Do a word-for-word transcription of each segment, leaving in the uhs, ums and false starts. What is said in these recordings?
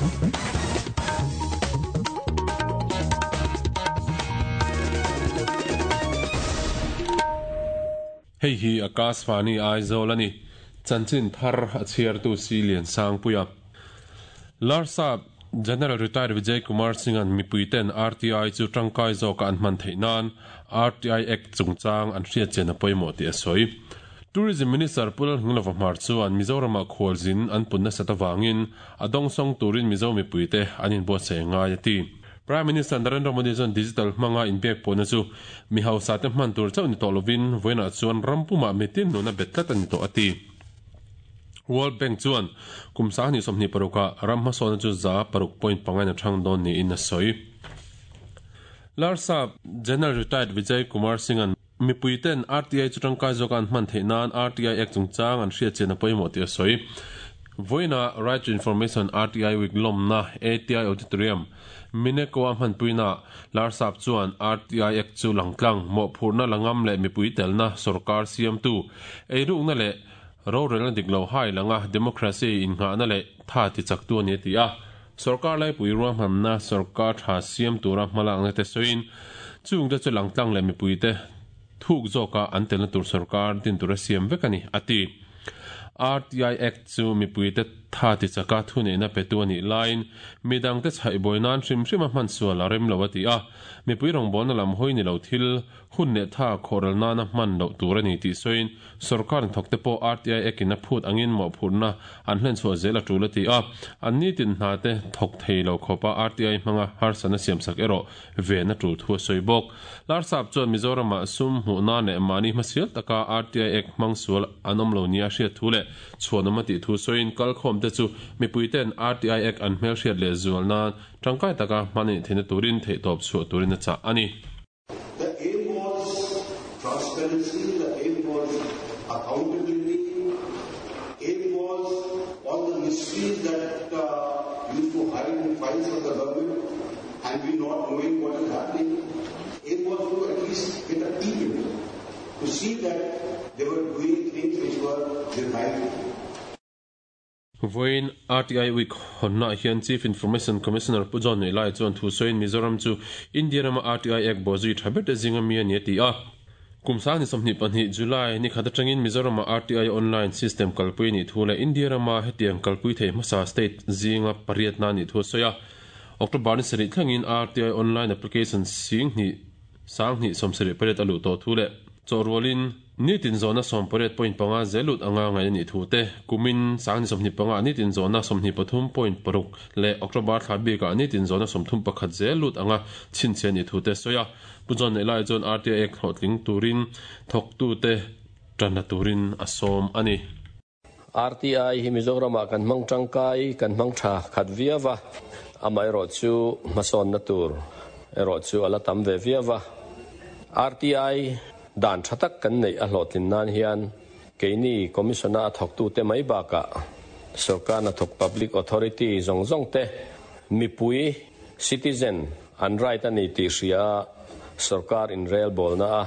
Hei hi Akashvani Aizawl ani chanchin thar a chhiartu si lian sang puia Larsap General Retired Vijay Kumar Singh an mipuiten R T I chu tangkai zawk an hman theih nan R T I Act chungchang an hriat chen a pawimawh tih a sawi. Tourism Minister Pu Lalngilova Hmar chuan Mizorama khualzin an punna sat awangin a dawngsawng turin Mizo mipuite an inbuatsaih ngai a ti. Prime Minister Narendra Modi chuan digital hmanga inpek pawhna chu mi hausa te hman tur chauh ni tawh lovin vawiinah chuan rampumah mitin nuna bet tlat a ni tawh a ti. World Bank chuan kum sang hnih sawmhnih paruka ram hmasawna chu za paruk point pangain a thang dawn niin a sawi. Larsap General Retired Vijay Kumar Singh an mipuiten R T I chu tangkai zawk an hman theih nan R T I Act chungchang an hriat chen a pawimawh tih a sawi. Vawiina Right to Information R T I Week lawmna A T I Auditorium Minekoa hmanpuina Larsap chuan R T I Act chu langtlang mawhphurhna langam leh mipui telna sarkar siamtu eirukna leh rorelna dik lo hai langa democracy innghahna leh tha ti chak tu ani ti a. Sarkar laipui ruahmanna sarkar tha siam tura hmalakna te sawiin chungte chu langtlang leh mipuite thuk zawka an telna tur sarkar din tura siam vek ani a ti. R T I Act chu mipuite tha ti chaka thuneihna petu ani lain midang te chhaih nan hrim hrim a hman sual a rem lo a ti a. Mipui rawngbawlna lam hawi ni lo thil hun leh tha khawral nana hman loh tur ani tih sawiin sarkar thawk te pawh R T I Act in a phut angin mawhphurhna an hlen chhuah zel a tul a ti a. An ni tin hna te thawk thei lo khawpa R T I hmanga harsana siamsak erawh ve na tul thu a sawi bawk. Larsap chuan Mizorama sum hmuhna leh mahni hmasial taka R T I Act hmang sual an awm lo nia hriat thu leh chhuanawm a tih thu sawiin kalkhawm te chu mipuiten R T I Act an hmel hriat leh zual nan tangkai taka hman anih theihna turin theihtawp chhuah turin a chah ani. The aim was transparency, the aim was accountability, aim was all the mysteries that uh, used to hide in files of the government and we not knowing what is happening. Aim was to at least get a peek into it, to see that they were doing things which were the right. Vawiin R T I Week honna hian Chief Information Commissioner Pu John Nei Lai chuan thu sawiin Mizoram chu India rama R T I Act bawhzui tha ber te zinga mi ani a ti a. Kum sang ni sawmhnih pahnih July ni khat atangin Mizorama R T I online system kalpui ni thu leh India rama hetiang kalpui thei hmasa state zinga pariat na ni thu a sawi a. October ni sarih thlengin R T I online application sing hnih sang hnih sawmsarih pariat a luh tawh thu leh chawhrualin nitin zawhna sawm pariat point panga zelut anga ngai ani thu te kumin sang ni sawmhnih panga nitin zawhna sawmhnih pathum point paruk leh October thla bikah nitin zawhna sawmthum pakhat zelut anga chhinchhiah ni thu te sawi a. Pu John Nei Lai chuan R T I Act hlawhtling turin thawktu te tanna turin a sawm ani. R T I hi Mizorama kan hmang tangkai kan hmang tha khat viawa amaherawh chu hmasawnna tur erawh chu ala tam ve viawa. R T I dan thatak kan nei a hlawhtlin nan hian keini commissioner a thawktu te mai bakah sarkar na thawk public authority zawng zawng te mipui citizen an right ani tih hria sarkar in rel bawlna a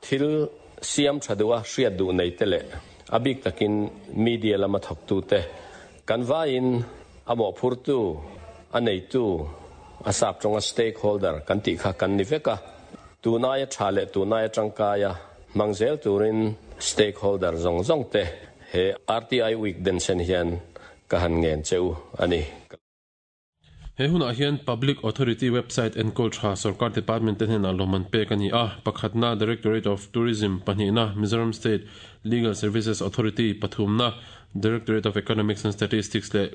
thil siam tha duh a hriat duh nei te leh a bik takin media lama thawktu te kan vaiin a mawhphurtu a neitu a sap tawnga stakeholder kan tih kha kan ni vek a. Tunai tha leh tunai tangkaia mangzel turin stakeholder zawng zawng te he R T I Week den sen hian ka han ngen cheu ani. He hunah hian Public Authority website enkol tha sarkar department te hnenah lawmman pek ani a. Pakhatna Directorate of Tourism, pahnihna Mizoram State Legal Services Authority, pathumna Directorate of Economics and Statistics leh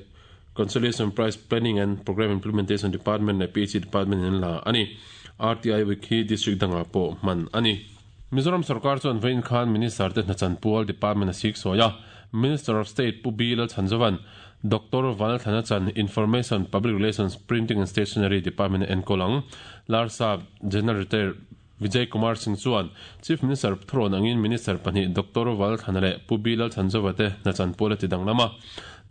Consolation Price Planning and Program Implementation Department leh P H E Department in la ani. R T I Week hi district danga pawh hman ani. Mizoram sarkar chuan vawiin khan Minister te hnachanpual Department a sik sawi a. Minister of State Pu B Lalchhanzovan Doctor Vanlalthlana chan Information Public Relations Printing and Stationery Department enkawl Larsap General Retired Vijay Kumar Singh chuan Chief Minister thrawn angin Minister pahnih Doctor Vanlalthlana leh Pu B Lalchhanzova te hnachanpual a ti danglam a.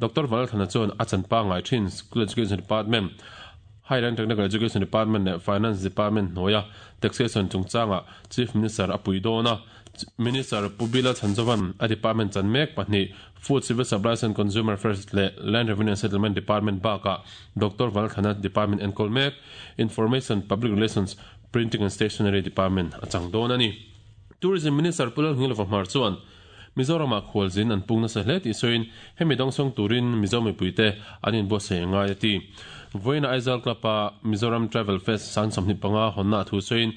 Doctor Vanlalthlana chuan a chanpa ngai thin School Education Department, Higher and Technical Education Department leh Finance Department hnuaia Taxation chungchanga Chief Minister a pui dawn a. Minister Pu B Lalchhanzova'n a department chan mek pahnih Food Civil Supplies and Consumer Affairs leh Land Revenue and Settlement Department bakah Doctor Valthana Department enkawl mek Information Public Relations Printing and Stationery Department a chang dawn a ni. Tourism Minister Pu Lalngilova Hmar chuan Mizoramah khualzin an pung nasa hle tih sawiin hemi dawngsawng turin Mizo mipuite an inbuatsaih ngai a ti. Vawiina Aizawl Club-a Mizoram Travel Fest sang sawmhnih panga hawnna a thu sawiin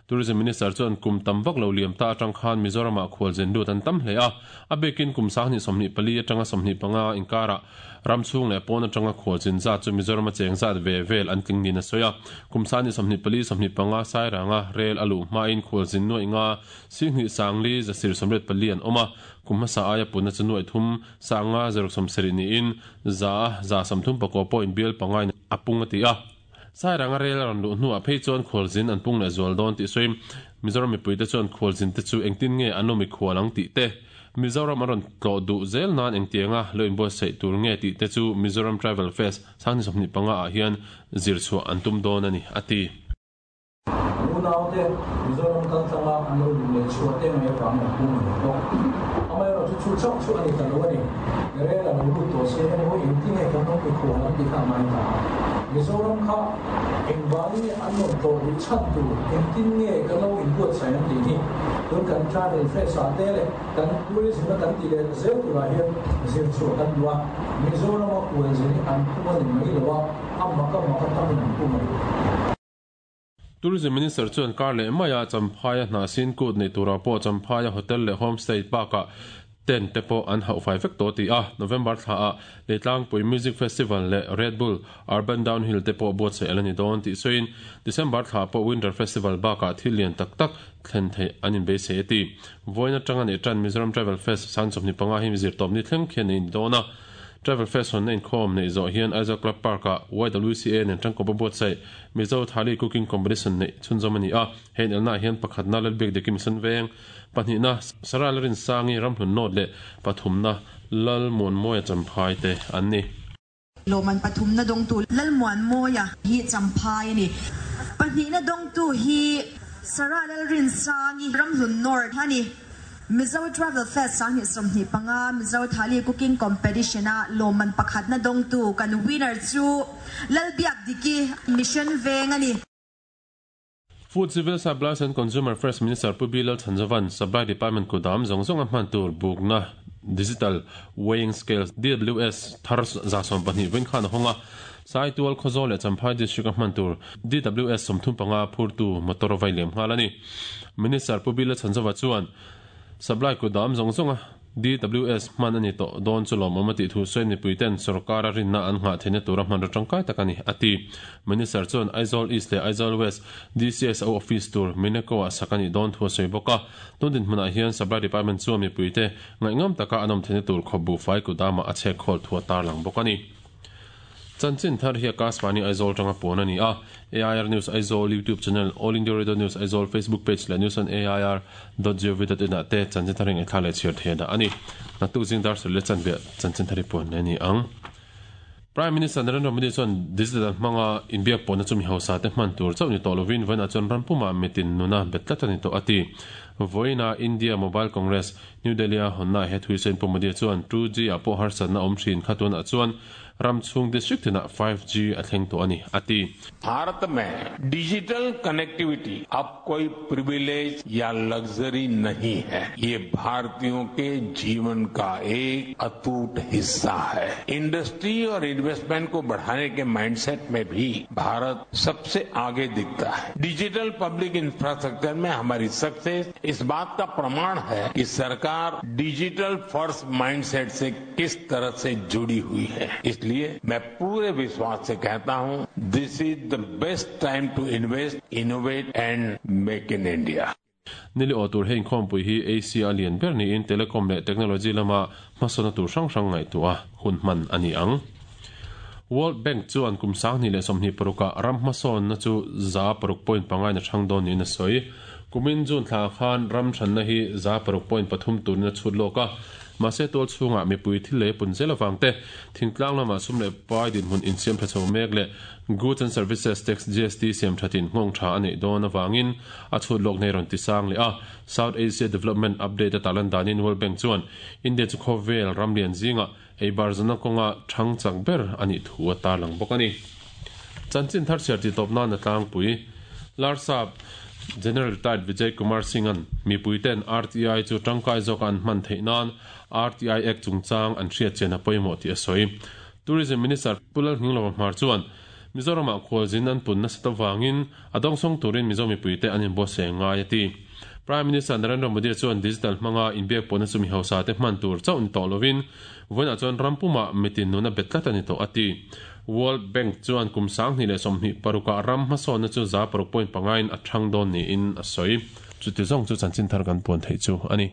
Tourism Minister chuan kum tam vak lo liam ta atang khan Mizoramah khualzin lut an tam hle a, a bikin kum sanghnih sawmhnih pali atanga sawmhnih panga inkarah ram chhung leh pawn atanga khualzin zat chu Mizorama cheng zat ve vel an tling niin a sawi a. Kum sanghnih sawmhnih pali sawmhnih panga sairanga rel a luh hmain khualzin nuaih nga singhnih sangli zasir sawmriat pali an awm a, kum hmasa aia punna chu nuaih thum sanga zaruk sawmsarih niin za za sawmthum pakua pawh inbial pangain a pung a ti a. Sairanga rel a rawn luh hnuah phei chuan khualzin an pung leh zual dawn tih sawi Mizoram mipuite chuan khualzin te chu engtin nge an awm i khual ang tih te, Mizoram an rawn tlawh duh zel nan engtianga lo inbuatsaih tur nge tih te chu Mizoram Travel Fest sanghnih sawmhnih panga ah hian zir chhuah an tum dawn a ni, a ti. Unaute Mizoram kaltlanga an lo luh leh chhuah te mai avangin an pung ve bawk. Amaherawhchu chu chauh chu a ni ta lo a ni. Rel a lo lut tawh se emaw engtin nge kan awm i khual ang tih kha a ngai ta a. Mizoram kha engvangin nge an rawn tlawh duh chhan tur, engtin nge kan lo inbuatsaih ang tih hi tun kan Travel Fest ah te leh kan tourism a kan tih leh zel turah hian zir chhuah kan duh a. Mizoram a kual zin hi an pung a ni mai lo a, a mak a mak a tamin an pung a ni. Tourism Minister chuan kar leh maia Champhaia hna sin kut nei turah pawh Champhaia hotel leh homestay bakah tent te pawh an hauh fai vek tawh ti a, November thlaah Leitlangpui Music Festival leh Red Bull Urban Downhill te pawh buatsaih a la ni dawn tih sawiin December thla pawh Winter Festival bakah thil lian tak tak thlen theih an inbeisei a ti. Vawiin atanga neih tan Mizoram Travel Fest sang chawmhnih panga hi zirtawpni thleng khian a in dawn a. Travel Fest hawnna inkhawm neih zawh hian Aizawl Club Park-ah Y W C A nen tangkawpa buatsaih Mizo Thali Cooking Competition neih chhunzawm a ni a. He inelnaah hian pakhatna Lalbiak Diki Mission Veng, pahnihna Sarah Larinsangi Ramhlun North leh pathumna Lalmuanmawia Champhai te an ni. Lawman pathumna dawngtu Lalmuanmawia hi Champhai a ni. Pahnihna dawngtu hi Sarah Lalrinsangi Ramhlun North a ni. Mizo Travel Fest sanghnih sawmhnih panga Mizo Thali Cooking Competition a lawmman pakhatna dawngtu kan winner chu Lalbiak Diki Mission Veng a ni. Food Civil Supplies and Consumer Affairs Minister Pu B Lalchhanzova'n Supply Department kudam zawng zawng a hman tur bukna Digital Weighing Scales, D W S, thar za sawm pahnih vawiin khan a hawng a. Saitual Khawzawl leh Champhai District a hman tur D W S sawmthum panga phurtu motor vai liam nghal a ni. Minister Pu B Lalchhanzova chuan Supply kudam zawng zawng a D W S hman a ni tawh dawn chu lawmawm a tih thu sawi mipuiten sorkar a rinna an nghah theihna tura hman ro tangkai tak a ni, a ti. Minister chuan Aizawl East leh Aizawl West D C S O office tur Mineko ah sak a nih dawn thu a sawi bawk a. Tun dinhmunah hian Supply Department chuan mipuite ngaihngam taka an awm theihna tur khawp buhfai kudamah a chhek khawl thu a tarlang bawk a ni. Chanchin thar hi Akashvani Aizawl tanga puan a ni a. A I R News Aizawl YouTube channel, All India Radio News Aizawl Facebook page leh news on A I R dot gov dot in ah te chanchin thar hi ngaihthla leh chhiar thei a dah a ni. Naktuk zing dar sawi leh chanve chanchin thar hi puan leh a ni ang. Prime Minister Narendra Modi chuan digital hmanga inbiak pawhna chu mi hausa te hman tur chauh ni tawh lovin vawiinah chuan ram pumah mitin nuna bet tlat a ni tawh a ti. Vawiina India Mobile Congress, New Delhi a hawnna he thui sawiin Pu Modi chuan two G ah pawh harsatna awm thin kha tunah chuan ram chhung district tinah five G a thleng tawh a ni, a ti. Bharat mein digital connectivity ab koi privilege ya luxury nahi hai. Ye Bharatiyon ke jeevan ka ek atoot hissa hai. Industry aur investment ko badhane ke mindset mein bhi Bharat sabse aage dikhta hai. Digital public infrastructure mein hamari success is baat ka pramaan hai ki sarkar digital first mindset se kis tarah se judi hui hai. Isliye मैं पूरे विश्वास से कहता हूं, this is the best time to invest, innovate and make in India. Nili o tur hein khom pui hi A C a lian ber ni in telecom leh technology lama hmasawna tur hrang hrang ngaih tu a hun hman a ni ang. World Bank chuan kum sanghnih leh sawmhnih paruka ram hmasawnna chu za paruk point pangai na thang dawn niin a sawi. Kumin June thla khan ram thanna hi za paruk point pathum turin a chhut lawk a. Mahse tual chhungah mipui thil lei pun zel avang te, thingtlang lama sum leh pai dinhmun insiam tha chho mek leh Goods and Services Tax, G S T, siam thatin nghawng tha a neih dawn avangin a chhut lawk nei rawn tisang leh a. South Asia Development Update a tarlan danin World Bank chuan India chu khawvel ram lian zinga eibar zana kawnga thang chak ber a nih thu a tarlang bawk a ni. Chanchin thar chhiar ti tawp nan a tlangpui. Larsap General Retired Vijay Kumar Singh-a'n mipuiten R T I chu tangkai zawka an hman theih nan R T I Act chungchang an hriatchian a pawimawh tih a sawi. Tourism Minister Pu Lalnghinglova Hmar chuan Mizoramah khualzin an pun nasat avangin a dawngsawng turin Mizo mipuite an inbuatsaih ngai a ti. Prime Minister Narendra Modi chuan digital hmanga inbiak pawhna chu mi hausa te hman tur chauh ni tawh lovin vawiinah chuan ram pumah mitin nuna bet tlat a ni tawh a ti. World Bank chuan kum sanghnih leh sawmhnih parukah ram hmasawnna chu za paruk point pangain a thang dawn niin a sawi. Chuti zawng chu chanchin thar kan puan theih chu a ni.